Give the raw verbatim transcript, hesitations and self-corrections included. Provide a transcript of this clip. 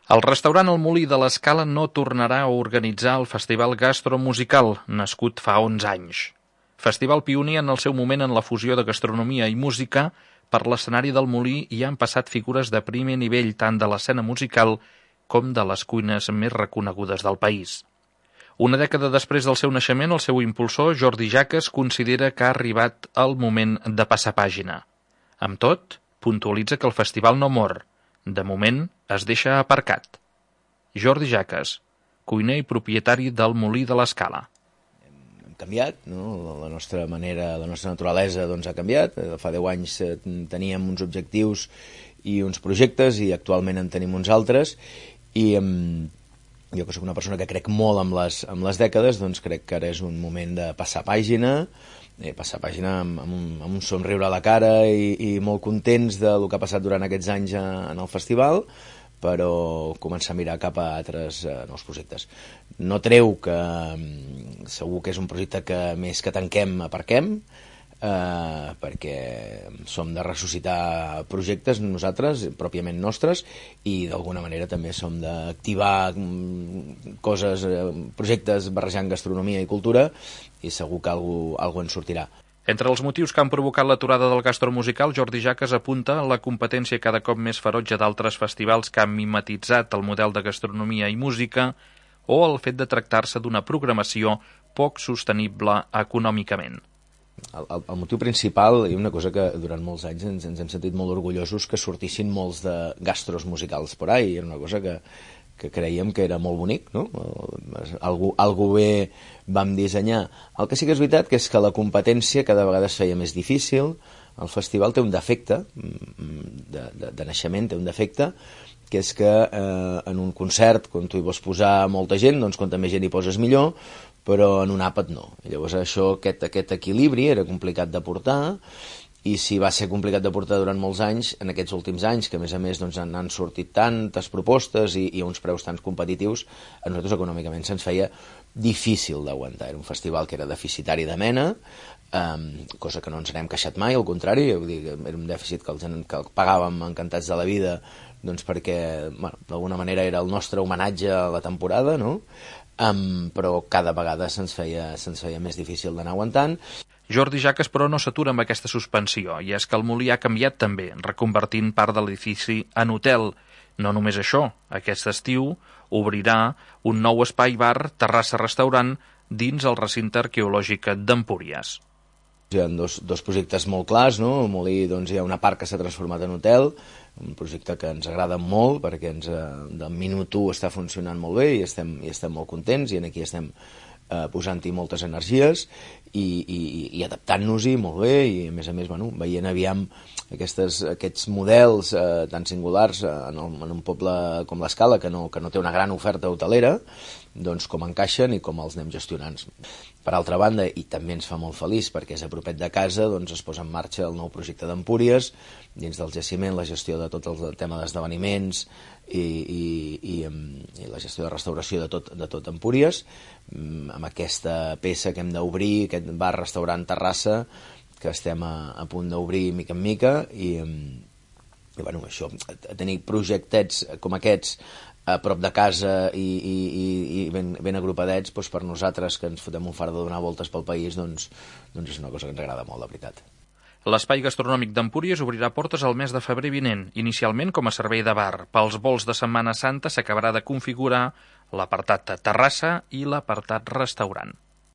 El restaurant El Molí de l'Escala no tornarà a organitzar el Festival Gastromusical, nascut fa onze anys. Festival pioner en el seu moment en la fusió de gastronomia i música, per l'escenari del Molí hi han passat figures de primer nivell tant de l'escena musical com de les cuines més reconegudes del país. Una dècada després del seu naixement, el seu impulsor, Jordi Jaques, considera que ha arribat el moment de passar pàgina. Amb tot, puntualitza que el festival no mor. De moment, es deixa aparcat. Jordi Jaques, cuiner i propietari del Molí de l'Escala. Hem canviat, no? La nostra manera, la nostra naturalesa doncs, ha canviat. Fa deu anys teníem uns objectius i uns projectes i actualment en tenim uns altres. I um, jo que soc una persona que crec molt amb les, amb les dècades, doncs crec que ara és un moment de passar pàgina, eh, passar pàgina amb, amb, un, amb un somriure a la cara i, i molt contents del que ha passat durant aquests anys a, en el festival, però començar a mirar cap a altres eh, nous projectes. No treu que um, segur que és un projecte que més que tanquem aparquem, Uh, perquè som de ressuscitar projectes nosaltres, pròpiament nostres, i d'alguna manera també som d'activar um, coses, uh, projectes barrejant gastronomia i cultura, i segur que alguna cosa en sortirà. Entre els motius que han provocat l'aturada del gastromusical, Jordi Jaques apunta la competència cada cop més ferotge d'altres festivals que han mimetitzat el model de gastronomia i música, o el fet de tractar-se d'una programació poc sostenible econòmicament. El, el, el motiu principal, i una cosa que durant molts anys ens, ens hem sentit molt orgullosos, que sortissin molts de gastros musicals por ahí, era una cosa que, que creiem que era molt bonic, no? Algú, algú bé vam dissenyar. El que sí que és veritat que és que la competència cada vegada es feia més difícil. El festival té un defecte, de, de, de naixement té un defecte, que és que eh, en un concert, quan tu hi vols posar molta gent, doncs quanta més gent hi poses millor, però en un àpat no. Llavors això, aquest, aquest equilibri era complicat de portar, i si va ser complicat de portar durant molts anys, en aquests últims anys, que a més a més doncs, han, han sortit tantes propostes i, i a uns preus tan competitius, a nosaltres econòmicament se'ns feia difícil d'aguantar. Era un festival que era deficitari de mena, um, cosa que no ens n'hem queixat mai, al contrari, vull dir, era un dèficit que, els, que el pagàvem encantats de la vida, doncs perquè, bueno, d'alguna manera era el nostre homenatge a la temporada, no? Um, però cada vegada se'ns feia, se'ns feia més difícil d'anar aguantant. Jordi Jaques, però, no s'atura amb aquesta suspensió, i és que el Molí ha canviat també, reconvertint part de l'edifici en hotel. No només això, aquest estiu obrirà un nou espai-bar, terrassa-restaurant, dins el recinte arqueològic d'Empúries. Hi ha dos, dos projectes molt clars, no? Al Molí doncs, hi ha una part que s'ha transformat en hotel, un projecte que ens agrada molt perquè ens, del minut u està funcionant molt bé i estem, i estem molt contents, i aquí estem eh, posant-hi moltes energies i, i, i adaptant-nos-hi molt bé, i a més a més bueno, veient aviam aquestes, aquests models eh, tan singulars en, el, en un poble com l'Escala, que no, que no té una gran oferta hotelera, doncs com encaixen i com els anem gestionant. Per altra banda, i també ens fa molt feliç perquè és a propet de casa, doncs es posa en marxa el nou projecte d'Empúries, dins del jaciment, la gestió de tot el tema d'esdeveniments i, i, i, i la gestió de restauració de tot, de tot Empúries, amb aquesta peça que hem d'obrir, aquest bar-restaurant Terrassa, que estem a, a punt d'obrir mica en mica, i, i bueno, això, tenir projectets com aquests a prop de casa i, i, i ben, ben agrupadets, doncs per nosaltres que ens fotem un fart de donar voltes pel país, doncs, doncs és una cosa que ens agrada molt, la veritat. L'espai gastronòmic d'Empúries obrirà portes el mes de febrer vinent, inicialment com a servei de bar. Pels vols de Setmana Santa s'acabarà de configurar l'apartat terrassa i l'apartat restaurant.